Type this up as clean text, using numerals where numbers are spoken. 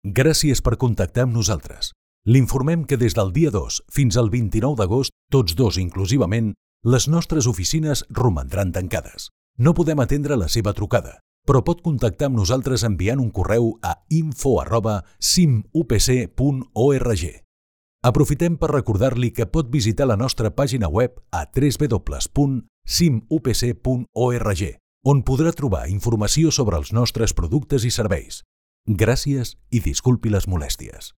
Gràcies per contactar amb nosaltres. L'informem que des del dia 2 fins al 29 d'agost, tots dos inclusivament, les nostres oficines romandran tancades. No podem atendre la seva trucada, però pot contactar amb nosaltres enviant un correu a info@simupc.org. Aprofitem per recordar-li que pot visitar la nostra pàgina web a www.simupc.org, on podrà trobar informació sobre els nostres productes i serveis. Gràcies i disculpi les molèsties.